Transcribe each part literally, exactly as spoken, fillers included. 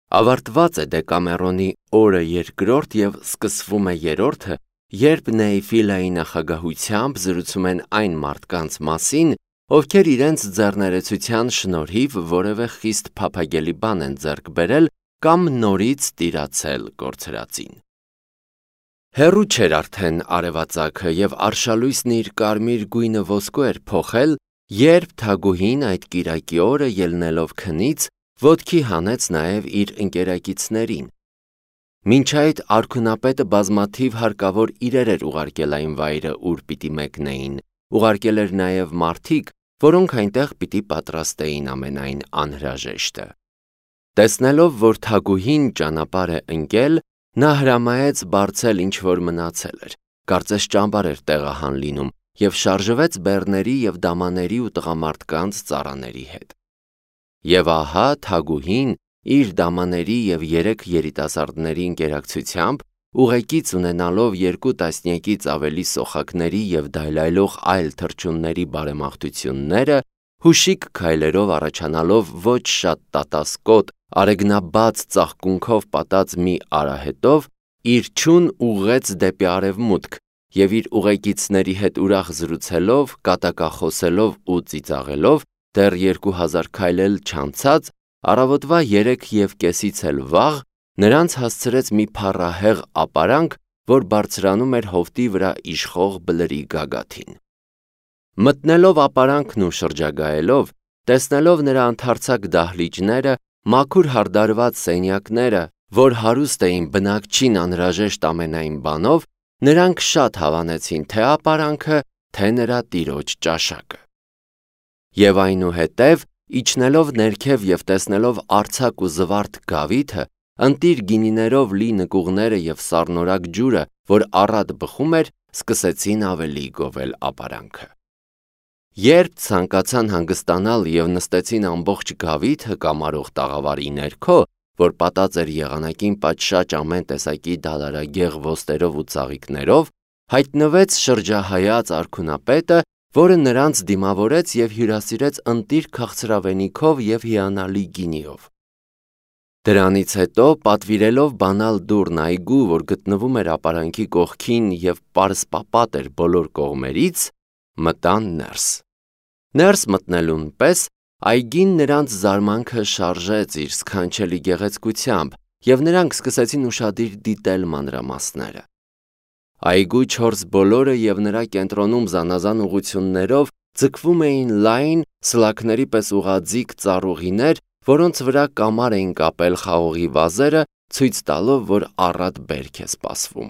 Ավարտված է Դեկամերոնի օրը երկրորդ և սկսվում է երրորդը, երբ Նեիֆիլայի նախագահությամբ զրուցում են այն մարդկանց մասին, ովքեր իրենց ձեռներեցության շնորհիվ որևէ խիստ փափագելի բան են ձեռք բերել կամ նորից տիրացել կորցրածին։ Հեռու չէր արդեն արևածագը և արշալույսն իր կարմիր գույնը ոսկու էր փոխել, երբ թագուհին այդ կիրակի օրը ելնելով քնից, ոտքի հանեց նաև իր ընկերակիցներին։ Մինչ այդ արքունապետը բազմաթիվ հարկավոր իրեր էր ուղարկել այն վայրը, ուր պիտի մեկնեին, ուղարկել էր նաև մարդիկ, որոնք այնտեղ պիտի պատրաստեին ամենայն անհրաժեշտը։ Տեսնելով, որ թագուհին ճանապարհ է ընկել, նա հրամայեց բարձել ինչ որ մնացել էր, կարծես ճամբար էր տեղահան լինում, և շարժվեց բեռների և դամաների ու տղամարդկանց ծառաների հետ։ Եվ ահա թագուհին իր դամաների և երեք երիտասարդների ընկերակցությամբ, ուղեկից ունենալով երկու տասնյակից ավելի սոխակների և դայլայլող այլ թռչունների բարեմաղթությունները, հուշիկ քայլերով առաջանալով ոչ շատ տատասկոտ, արեգնաբաց ծաղկունքով պատած մի արահետով, իր չուն ուղղեց դեպի արևմուտք և իր ուղեկիցների հետ ուրախ զրուցելով, կատակախոսելով ու ծիծաղելով, դեռ երկու հազար քայլ էլ չանցած, առավոտվա երեք և կեսից էլ վաղ, նրանց հասցրեց մի փառահեղ ապարանք, որ բարձրանում էր հովտի վրա իշխող բլրի գագաթին։ Մտնելով ապարանքն ու շրջագայելով, տեսնելով նրա ընդարձակ դահլիճները, մաքուր հարդարված սենյակները, որ հարուստ էին բնակչին անհրաժեշտ ամենայն բանով, նրանք շատ հավանեցին թե ապարանքը, թե նրա տիրոջ ճաշակը։ Եվ այնուհետև, իջնելով ներքև և տեսնելով արձակ ու զվարթ գավիթը, ընտիր գինիներով լի նկուղները և սառնորակ ջուրը, որ առատ բխում էր, սկսեցին ավելի գովել ապարանքը։ Երբ ցանկացան հանգստանալ և նստեցին ամբողջ գավիթը կամարող տաղավարի ներքո, որ պատած էր եղանակին պատշաճ ամեն տեսակի դալարագեղ ոստերով ու ծաղիկներով, հայտնվեց շրջահայաց արքունապետը, որը նրանց դիմավորեց և հյուրասիրեց ընտիր քաղցրավենիքով և հիանալի գինիով։ Դրանից հետո, պատվիրելով բանալ դուռն այգու, որ գտնվում էր ապարանքի կողքին և պարսպապատ էր բոլոր կողմերից, մտան ներս։ Ներս մտնելուն պես այգին նրանց զարմանքը շարժեց իր սքանչելի գեղեցկությամբ, և նրանք սկսեցին ուշադիր դիտել մանրամասները։ Այգու չորս բոլորը և նրա կենտրոնում զանազան ուղղություններով ձգվում էին լայն, սլաքների պես ուղղաձիգ ծառուղիներ, որոնց վրա կամար էին կապել խաղողի վազերը, ցույց տալով, որ առատ բերք է սպասվում։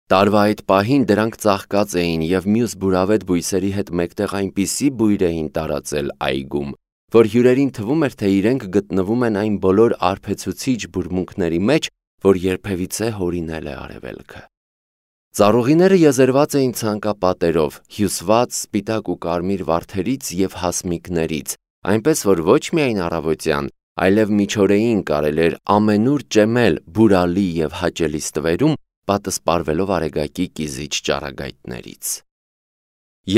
Տարվա այդ պահին դրանք ծաղկած էին և մյուս բուրավետ բույսերի հետ մեկտեղ այնպիսի բույր էին տարածել այգում, որ հյուրերին թվում էր, թե իրենք գտնվում են այն բոլոր արբեցուցիչ բուրմունքների մեջ, որ երբևիցե հորինել է արևելքը։ Ծառուղիները եզերված էին ցանկապատերով, հյուսված սպիտակ ու կարմիր վարդերից և հասմիկներից, այնպես որ ոչ միայն առավոտյան, այլև միջօրեին կարելի էր ամենուր ճեմել բուրալի և հաճելի ստվերում, պատսպարվելով արեգակի կիզիչ ճառագայթներից։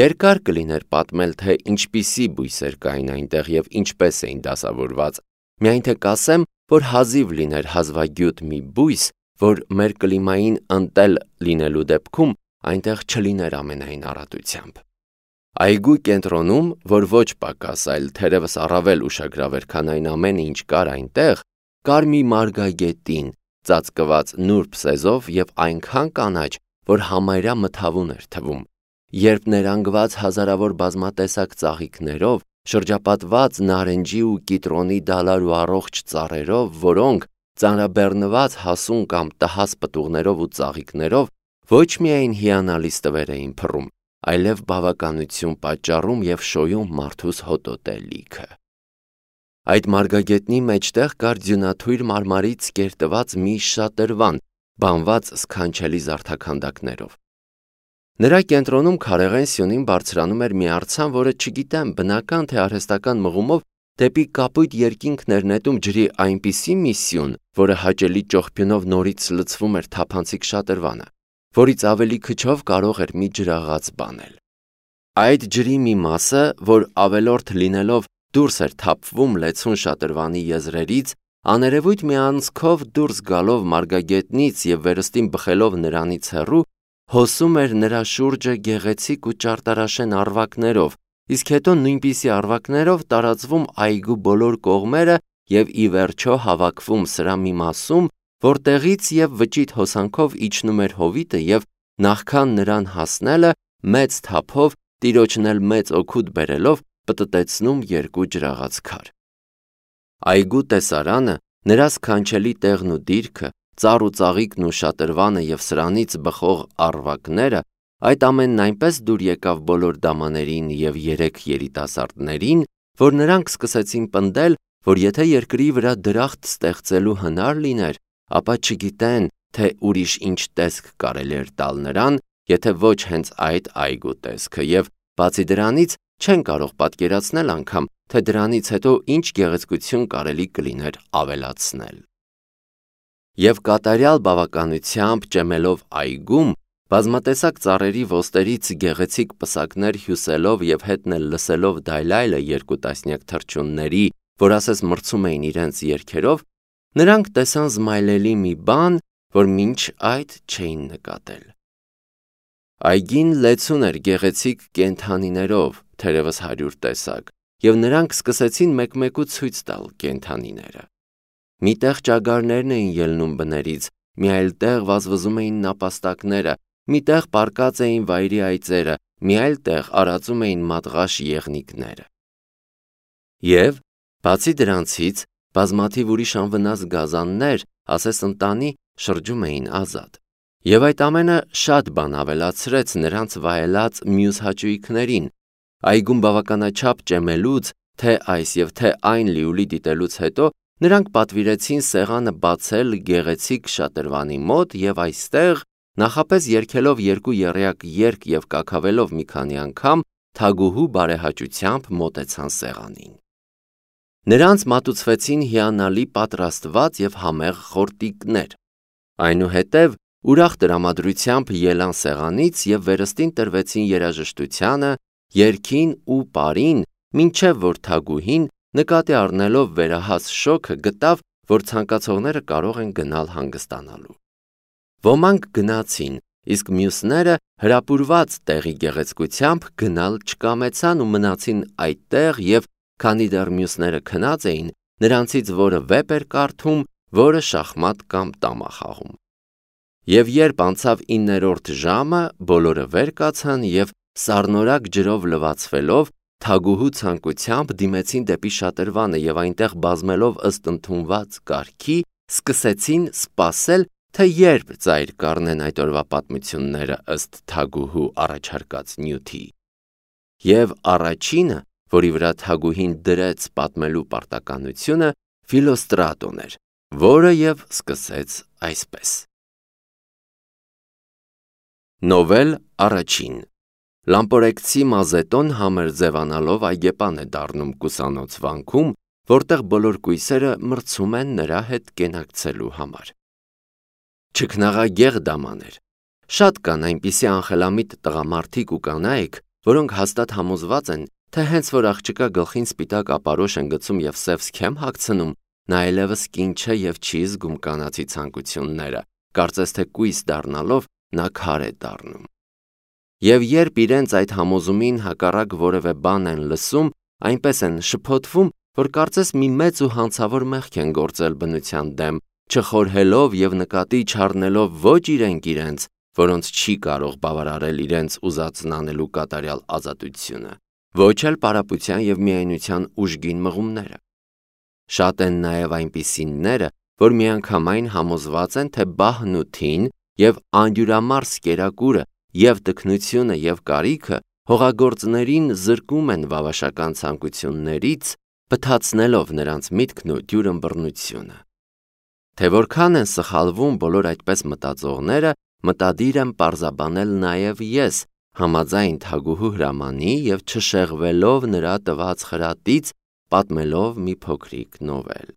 Երկար կլիներ պատմել, թե ինչպիսի բույսեր կային այնտեղ և ինչպես էին դասավորված, միայն թե կասեմ, որ հազիվ լիներ հազվագյուտ մի բույս, որ մեր կլիմային ընտել լինելու դեպքում այնտեղ չլիներ ամենայն առատությամբ։ Այգու կենտրոնում, որ ոչ պակաս, այլ թերևս առավել ուշագրավ էր, քան այն ամենը, ինչ կար այնտեղ, կար մի մարգագետին, ծածկված նուրբ սեզով և այնքան կանաչ, որ համարյա մթավուն էր թվում, երբ ներանգված հազարավոր բազմատեսակ ծաղիկներով, շրջապատված նարնջի ու կիտրոնի դալար ու առողջ ծառերով, որոնք, ծանրաբեռնված հասուն կամ տհաս պտուղներով ու ծաղիկներով, ոչ միայն հիանալի ստվեր էին փռում, այլև բավականություն պատճառում և շոյում մարդուս հոտոտե լիքը։ Այդ մարգագետնի մեջտեղ կար ձյունաթույր մարմարից կերտված մի շատրվան, բանված սքանչելի զարդաքանդակներով։ Նրա կենտրոնում քարեղեն սյունին բարձրանում էր մի արձան, որը չգիտեմ բնական թե արհեստական մղումով դեպի կապույտ երկինքն էր նետում ջրի այնպիսի մի սյուն, որը հաճելի ճողփյունով նորից լցվում էր թափանցիկ շատրվանը, որից ավելի քչով կարող էր մի ջրաղաց բանել։ Այդ ջրի մի մասը, որ ավելորդ լինելով դուրս էր թափվում լեցուն շատրվանի եզրերից, Աներևույթ մի անցքով դուրս գալով մարգագետնից և վերստին բխելով նրանից հեռու, հոսում էր նրա շուրջը գեղեցիկ ու ճարտարաշեն առվակներով, իսկ հետո նույնպիսի առվակներով տարածվում այգու բոլոր կողմերը և ի վերջո հավաքվում սրա մի մասում, որտեղից և վճիտ հոսանքով իջնում էր հովիտը և նախքան նրան հասնելը մեծ թափով, տիրոջն էլ մեծ օգուտ բերելով, պտտեցնում երկու ջրաղաց քար։ Այգու տեսարանը, նրա սքանչելի տեղն ու դիրքը, ծառ ու ծաղիկն ու շատրվանը և սրանից բխող առվակները, այդ ամենն այնպես դուր եկավ բոլոր դամաներին և երեք երիտասարդներին, որ նրանք սկսեցին պնդել, որ եթե երկրի վրա դրախտ ստեղծելու հնար լիներ, ապա չգիտեն, թե ուրիշ ինչ տեսք կարելի էր տալ նրան, եթե ոչ հենց այդ այգու տեսքը, և բացի դրանից չեն կարող պատկերացնել անգամ, թե դրանից հետո ինչ գեղեցկություն կարելի կլիներ ավելացնել։ Եվ կատարյալ բավականությամբ ճեմելով այգում, բազմատեսակ ծառերի ոսτερից գեղեցիկ պսակներ հյուսելով և հետն էլ լսելով դայլայլը երկու տասնյակ թռչունների, որ ասես մրցում էին իրենց երգերով, նրանք տեսան զմայլելի մի բան, որ մինչ այդ չէին նկատել։ Այգին լեցուն էր գեղեցիկ կենդանիներով, թերևս հարյուր տեսակ, և նրանք սկսեցին մեկ-մեկու ցույց տալ կենդանիները։ Մի տեղ ճագարներն էին ելնում բներից, մի այլ տեղ վազվզում էին նապաստակները, մի տեղ պառկած էին վայրի այծերը, մի այլ տեղ արածում էին մատղաշ եղնիկները։ Եվ, բացի դրանցից, բազմաթիվ ուրիշ անվնաս գազաններ, ասես ընտանի, շրջում էին ազատ։ Եվ այդ ամենը շատ բան ավելացրեց նրանց վայելած մյուս հաճույքներին։ Այգում բավականաչափ ճեմելուց, թե այս և թե այն լիուլի դիտելուց հետո նրանք պատվիրեցին սեղանը բացել գեղեցիկ շատրվանի մոտ և այստեղ, նախապես երգելով երկու եռյակ երգ և կաքավելով մի քանի անգամ, թագուհու բարեհաճությամբ մոտեցան սեղանին։ Նրանց մատուցվեցին հիանալի պատրաստված և համեղ խորտիկներ։ Այնուհետև ուրախ տրամադրությամբ ելան սեղանից և վերստին տրվեցին երաժշտությանը, երգին ու պարին, մինչև որ թագուհին, նկատի առնելով վերահաս շոգը, գտավ, որ ցանկացողները կարող են գնալ հանգստանալու։ Ոմանք գնացին, իսկ մյուսները հրապուրված տեղի գեղեցկությամբ գնալ չկամեցան ու մնացին այդտեղ և, քանի դեռ մյուսները քնած էին, նրանցից որը վեպ էր կարդում, որը շախմատ կամ տամա խաղում։ Եվ երբ անցավ իններորդ ժամը, բոլորը վեր կացան և սառնորակ ջրով լվացվելով, թագուհու ցանկությամբ դիմեցին դեպի շատրվանը և այնտեղ բազմելով ըստ ընդունված կարգի, սկսեցին սպասել, թե երբ ծայր կառնեն այդ օրվա պատմությունները ըստ թագուհու առաջարկած նյութի։ Եվ առաջինը, որի վրա թագուհին դրեց պատմելու պարտականությունը, Ֆիլոստրատոն էր, որը և սկսեց այսպես. Նովել առաջին Լամպորեկցի Մազետոն համր ձևանալով այգեպան է դառնում կուսանոց վանքում, որտեղ բոլոր կույսերը մրցում են նրա հետ կենակցելու համար։ Չքնաղագեղ դամաներ։ Շատ կան այնպիսի անխելամիտ տղամարդիկ ու կանայք, որոնք հաստատ համոզված են, թե հենց որ աղջկա գլխին սպիտակ ապարոշ են գցում և սև սքեմ հագցնում, նա այլևս կին չէ և չի զգում կանացի ցանկությունները, կարծես թե կույս դառնալով նա քար է դառնում։ Եվ երբ իրենց այդ համոզումին հակառակ որևէ բան են լսում, այնպես են շփոթվում, որ կարծես մի մեծ ու հանցավոր մեղք են գործել բնության դեմ, չխորհելով և նկատի չառնելով ոչ իրենք իրենց, որոնց չի կարող բավարարել իրենց ուզածն անելու կատարյալ ազատությունը, ոչ էլ պարապության և միայնության ուժգին մղումները։ Շատ են նաև այնպիսինները, որ միանգամայն համոզված են, թե բահն ու թին և անդյուրամարս կերակուրը և տքնությունը և կարիքը հողագործներին զրկում են վավաշական ցանկություններից, բթացնելով նրանց միտքն ու դյուրըմբռնությունը։ Թե որքան են սխալվում բոլոր այդպես մտածողները, մտադիր եմ պարզաբանել նաև ես, համաձայն թագուհու հրամանի և չշեղվելով նրա տված խրատից, պատմելով մի փոքրիկ նովել։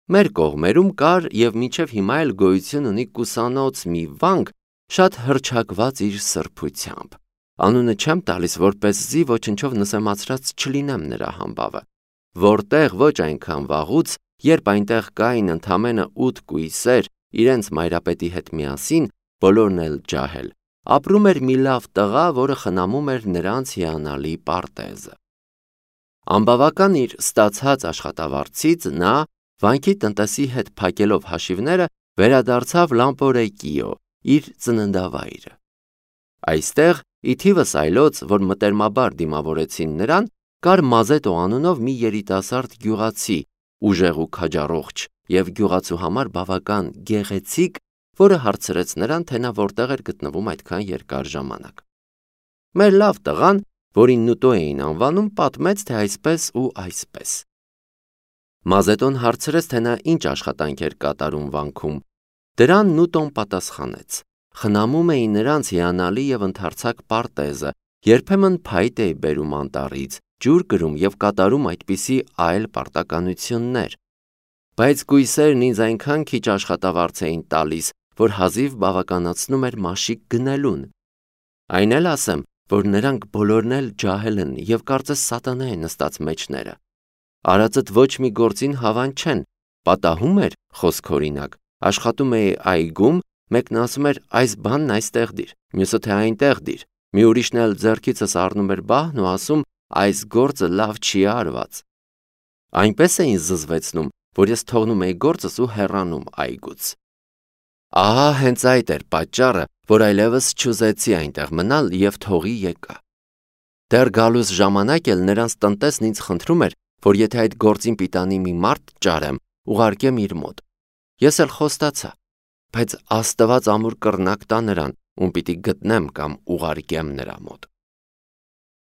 Մեր կողմերում կար և մինչև հիմա էլ գոյություն ունի կուսանոց մի վանք, շատ հռչակված իր սրբությամբ։ Անունը չեմ տալիս, որպեսզի ոչնչով նսեմացրած չլինեմ նրա համբավը, որտեղ ոչ այնքան վաղուց, երբ այնտեղ կային ընդամենը ութ կույսեր իրենց մայրապետի հետ միասին, բոլորն էլ ջահել, ապրում էր մի լավ տղա, որը խնամում էր նրանց հիանալի պարտեզը։ Անբավական իր ստացած աշխատավարձից նա, վանքի տնտեսի հետ փակելով հաշիվները, վերադարձավ Լամպորեկիո, իր ծննդավայրը։ Այստեղ, ի թիվս այլոց, որ մտերմաբար դիմավորեցին նրան, կար Մազետո անունով մի երիտասարդ գյուղացի, ուժեղ ու քաջառողջ և գյուղացու համար բավական գեղեցիկ, որը հարցրեց նրան, թե նա որտեղ էր գտնվում այդքան երկար ժամանակ։ Մեր լավ տղան, որին Նուտո էին անվանում, պատմեց, թե այսպես ու այսպես։ Մազետոն հարցրեց, թե նա ինչ աշխատանք էր կատարում վանքում։ Դրան Նուտոն պատասխանեց. խնամում էի նրանց հիանալի և ընդարձակ պարտեզը, երբեմն փայտ էի բերում անտառից, ջուր կրում և կատարում այդպիսի այլ պարտականություններ։ Բայց կույսերն ինձ այնքան քիչ աշխատավարձ էին տալիս, որ հազիվ բավականացնում էր մաշիկ գնելուն։ Այն էլ ասեմ, որ նրանք բոլորն էլ ջահել են և կարծես սատանա է նստած մեջները։ Արածդ ոչ մի գործին հավան չեն, պատահում էր, խոսք օրինակ, աշխատում էի այգում, մեկն ասում էր այս բանն այստեղ դիր, մյուսը թե այնտեղ դիր, մի ուրիշն էլ ձեռքիցս առնում էր բահն ու ասում այս գործը լավ չի արված։ Այնպես էին զզվեցնում, որ ես թողնում էի գործս ու հեռանում այգուց։ Ահա հենց այդ էր պատճառը, որ այլևս չուզեցի այնտեղ մնալ և թողի եկա։ Դեռ գալուս ժամանակ էլ նրանց տնտեսն ինձ խնդրում էր, որ եթե այդ գործին պիտանի մի մարդ ճարեմ, ուղարկեմ իր մոտ։ Ես էլ խոստացա, բայց Աստված ամուր կռնակ տա նրան, ում պիտի գտնեմ կամ ուղարկեմ նրա մոտ։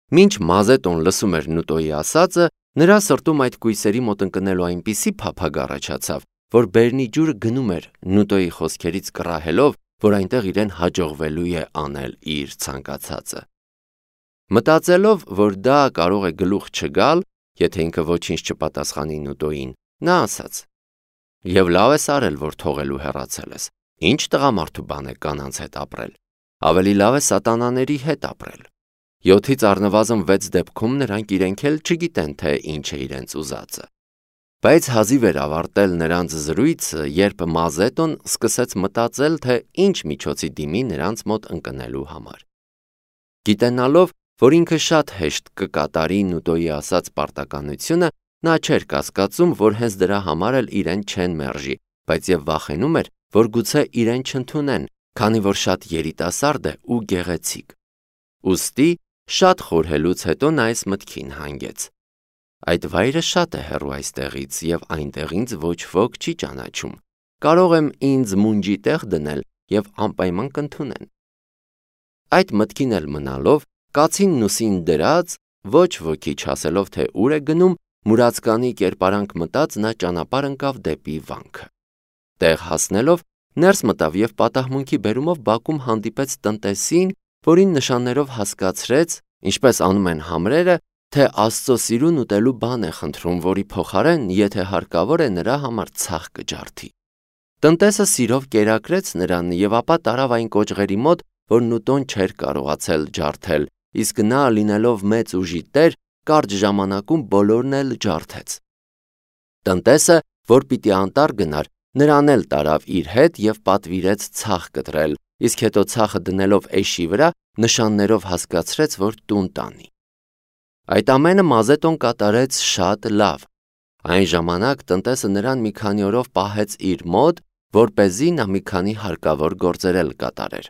Մինչ Մազետոն լսում էր Նուտոյի ասածը, նրա սրտում այդ կույսերի մոտ ընկնելու այնպիսի փափագ առաջացավ, որ բերնի ջուրը գնում էր Նուտոյի խոսքերից կռահելով, որ այնտեղ իրեն հաջողվելու է անել իր ցանկացածը։ Մտածելով, որ դա կարող է գլուխ չգալ, եթե ինքը ոչինչ չպատասխանի Նուտոյին, նա ասաց. «Եվ լավ ես արել, որ թողելու հեռացել ես, ինչ տղամարդու բան է կանանց հետ ապրել, ավելի լավ է սատանաների հետ ապրել»։ Յոթից առնվազն վեց դեպքում նրանք իրենք էլ չգիտեն, թե ինչ է իրենց ուզածը։ Բայց հազիվ էր ավարտել նրանց զրույցը, երբ Մազետոն սկսեց մտածել, թե ինչ միջոցի դիմի նրանց մոտ ընկնելու համար։ Գիտենալով, որ ինքը շատ հեշտ կկատարի Նուտոյի ասած պարտականությունը, նա չէր կասկածում, որ հենց դրա համար էլ իրեն չեն մերժի, բայց և վախենում էր, որ գուցե իրեն չընդունեն, քանի որ շատ երիտասարդ է ու գեղեցիկ։ Ուստի շատ խորհելուց հետո նա այս մտքին հանգեց. այդ վայրը շատ է հեռու այստեղից և այնտեղ ինձ ոչ ոք չի ճանաչում, կարող եմ ինձ մունջի տեղ դնել և անպայման կընդունեն։ Այդ մտքին էլ մնալով, կացին ուսին դրած, ոչ ոքի չասելով, թե ուր է գնում, մուրացկանի կերպարանք մտած նա ճանապարհ ընկավ դեպի վանքը։ Տեղ հասնելով, ներս մտավ և պատահմունքի բերումով բակում հանդիպեց տնտեսին, որին նշաններով հասկացրեց, ինչպես անում են համրերը, թե Աստծո սիրուն ուտելու բան է խնդրում, որի փոխարեն, եթե հարկավոր է, նրա համար ցախ կջարդի։ Տնտեսը սիրով կերակրեց նրան և ապա տարավ այն կոճղերի մոտ, որ Նուտոն չէր կարողացել ջարդել, իսկ նա, լինելով մեծ ուժի տեր, կարճ ժամանակում բոլորն էլ ջարդեց։ Տնտեսը, որ պիտի անտառ գնար, նրան էլ տարավ իր հետ և պատվիրեց ցախ կտրել, իսկ հետո ցախը դնելով էշի վրա, նշաններով հասկացրեց, որ տուն տանի։ Այդ ամենը Մազետոն կատարեց շատ լավ։ Այն ժամանակ տնտեսը նրան մի քանի օրով պահեց իր մոտ, որպեսզի նա մի քանի հարկավոր գործեր էլ կատարեր։